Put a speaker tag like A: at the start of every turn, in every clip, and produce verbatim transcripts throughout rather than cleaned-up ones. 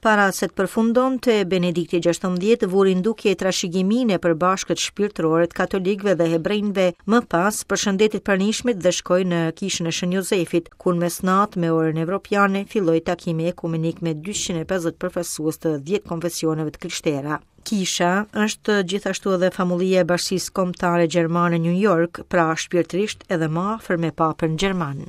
A: Para se të përfundonte, Benedikti gjashtëmbëdhjetë vuri në dukje trashëgiminë e përbashkët shpirtërore të katolikëve dhe hebrejve, më pas përshëndeti të pranishmit dhe shkoi në kishën e Shën Jozefit, ku në mesnatë me orën evropiane filloi takimi ekumenik me dyqind e pesëdhjetë përfaqësues të dhjetë konfesioneve të krishtera. Kisha është gjithashtu edhe famullia e Bashkisë Kombëtare Gjermane New York, pra shpirtërisht edhe më afër me papën gjerman.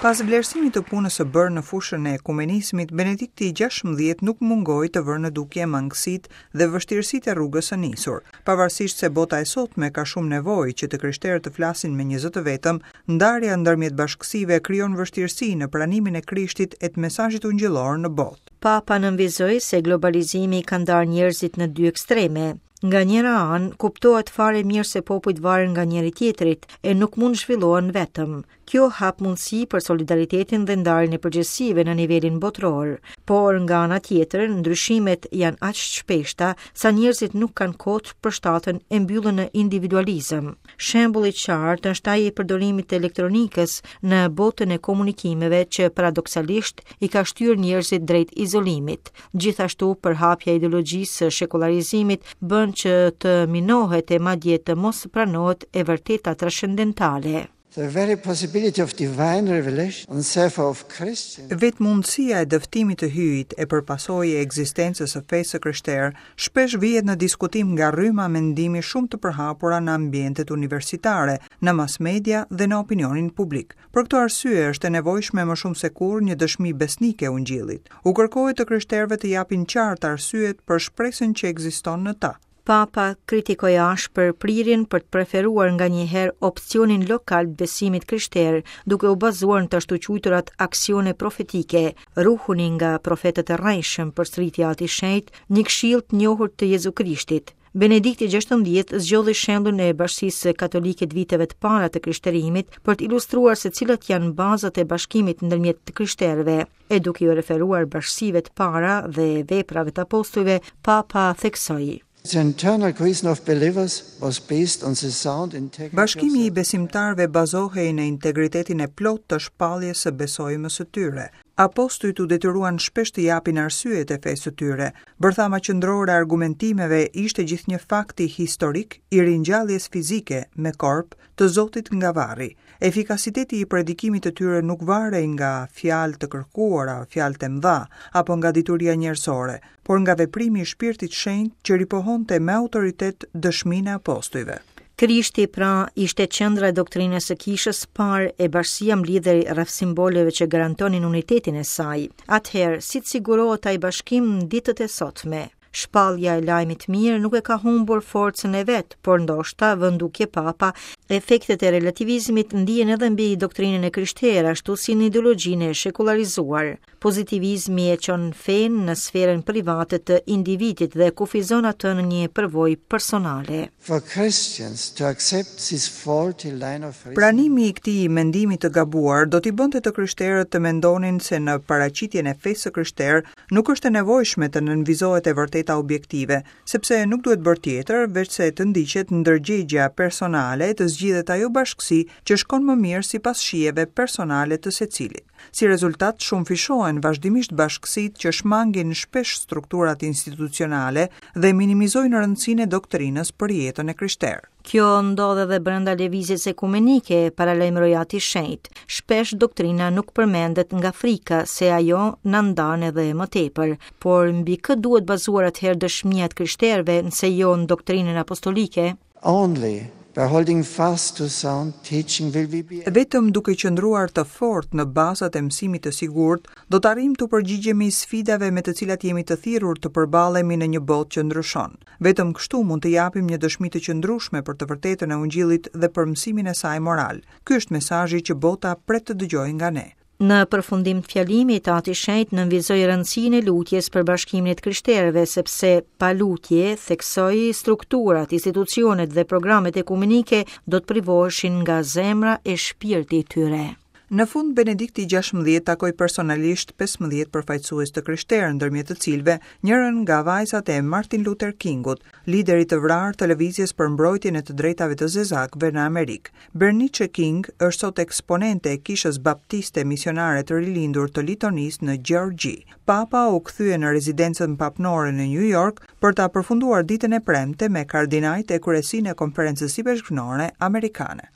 B: Pas vlerësimit të punës së bërë në fushën e ekumenizmit, Benedikti gjashtëmbëdhjetë nuk mungoi të vërë në dukje mangësitë dhe vështirësitë e rrugës së nisur. Pavarësisht se bota e sotme ka shumë nevojë që të krishterët të flasin me një zë të vetëm, ndarja ndërmjet bashkësive krijon vështirësi në pranimin e Krishtit e të mesazhit ungjillor në botë.
A: Papa nënvizoi se globalizimi ka ndarë njerëzit në dy ekstreme. Nga njëra anë, kuptohet fare mirë se popujt varen nga njëri tjetrit e nuk mund zhvillohen vetëm. Kjo hap mundësi për solidaritetin dhe ndarjen e përgjegjësive në nivelin botëror, por nga ana tjetër, ndryshimet janë aq të shpeshta sa njerëzit nuk kanë kohë të përshtaten e mbyllen në individualizëm. Shembulli i qartë është ai i përdorimit të elektronikës në botën e komunikimeve që paradoksalisht i ka shtyrë njerëzit drejt izolimit. Gjithashtu, përhapja e ideologjisë së shekullarizimit bën që të minohet e madje të mos pranohet e vërteta transcendentale.
C: The very possibility of divine revelation and therefore of Christian.
B: Vetë mundësia e dëftimit të hyjit e për pasojë e ekzistencës së fesë së krishterë shpesh vihet në diskutim nga rryma mendimi shumë të përhapura në ambientet universitare, në mass media dhe në opinionin publik. Për këto arsye është e nevojshme më shumë se kurrë një dëshmi besnike e ungjillit. U kërkohet të krishterëve të japin qartë arsyet për shpresën që ekziston në ta.
A: Papa kritikoi ashpër prirjen për të preferuar nganjëherë opsionin lokal të besimit krishter, duke u bazuar në të ashtuquajturat aksione profetike. Ruhuni nga profetët e rrejshëm, përsëriti Ati i Shenjtë, një këshill të njohur të Jezu Krishtit. Benedikti gjashtëmbëdhjetë zgjodhi shembullin e Bashkisë Katolike të viteve të para të krishterimit për të ilustruar se cilat janë bazat e bashkimit ndërmjet të krishterëve. E duke iu referuar bashkësive të para dhe veprave të apostujve, Papa theksoi:
C: The internal cohesion of believers was based on the sound integrity of
B: Bashkimi i
C: the
B: besimtarëve bazohej në integritetin e plotë të shpalljes së besojmës së tyre. Apostujt u detyruan shpesh të japin arsyet e fesë së tyre. Bërthama qendrore e argumentimeve ishte gjithnjë fakti historik i ringjalljes fizike me korp të Zotit nga varri. Efikasiteti i predikimit të tyre nuk varej nga fjalë të kërkuara, fjalë të mëdha apo nga dituria njerëzore, por nga veprimi i Shpirtit Shenjt që ripohonte me autoritet dëshminë e apostujve.
A: Krishti pra ishte qendra e doktrinës së kishës parë e bashkësia mblidhej rreth simboleve që garantonin unitetin e saj. Atëherë, si të sigurohet ai bashkim në ditët e sotme? Shpallja e lajmit mirë nuk e ka humbur forcën e vet, por ndoshta vën dukje Papa, efektet e relativizmit ndihen edhe mbi doktrinën e krishterë, ashtu si në ideologjinë e shekullarizuar. Pozitivizmi e çon fenë në sferën private të individit dhe kufizon atë në një përvojë personale.
C: For Christians to accept this faulty line of reasoning.
B: Pranimi i këtij mendimi të gabuar do t'i bënte të krishterët të mendonin se në paraqitjen e fesë së krishterë nuk është e nevojshme të nënvizohet e vërteta objektive, sepse nuk duhet bërë tjetër veçse të ndiqet ndërgjegja personale e të zgjidhet ajo bashkësi që shkon më mirë sipas shijeve personale të secilit. Si rezultat, shumëfishohen vazhdimisht bashkësitë që shmangin shpesh strukturat institucionale dhe minimizojnë rëndësinë e doktrinës për jetën e krishterë.
A: Kjo ndodh edhe brenda lëvizjes ekumenike, paralajmëroi Ati i Shenjtë. Shpesh doktrina nuk përmendet nga frika se ajo na ndan edhe më tepër, por mbi kë duhet bazuar atëherë dëshmia e të krishterëve nëse jo në doktrinën apostolike?
C: Only by holding fast to sound teaching will we be
B: Vetëm duke qëndruar të fortë në bazat e mësimit të sigurt, do të arrijmë të përgjigjemi sfidave me të cilat jemi të thirrur të përballemi në një botë që ndryshon. Vetëm kështu mund të japim një dëshmi të qëndrueshme për të vërtetën e Ungjillit dhe për mësimin e saj moral. Ky është mesazhi që bota pret të dëgjojë nga ne.
A: Në përfundim të fjalimit, Ati i Shenjtë nënvizoi rëndësinë e lutjes për bashkimin e të krishterëve, sepse pa lutje, theksoi, strukturat, institucionet dhe programet ekumenike do të privoheshin nga zemra e shpirti i tyre.
B: Në fund, Benedikti gjashtëmbëdhjetë takoi personalisht pesëmbëdhjetë përfaqësues të krishterë, ndërmjet të cilëve njërën nga vajzat e Martin Luther Kingut, liderit të vrarë të lëvizjes për mbrojtjen e të drejtave të zezakëve në Amerikë. Bernice King është sot eksponente e Kishës Baptiste Misionare të Rilindur të Litonisë në Gjeorgji. Papa u kthye në rezidencën papnore në New York për ta përfunduar ditën e premte me kardinajt e kryesinë e Konferencës Ipeshkvnore Amerikane.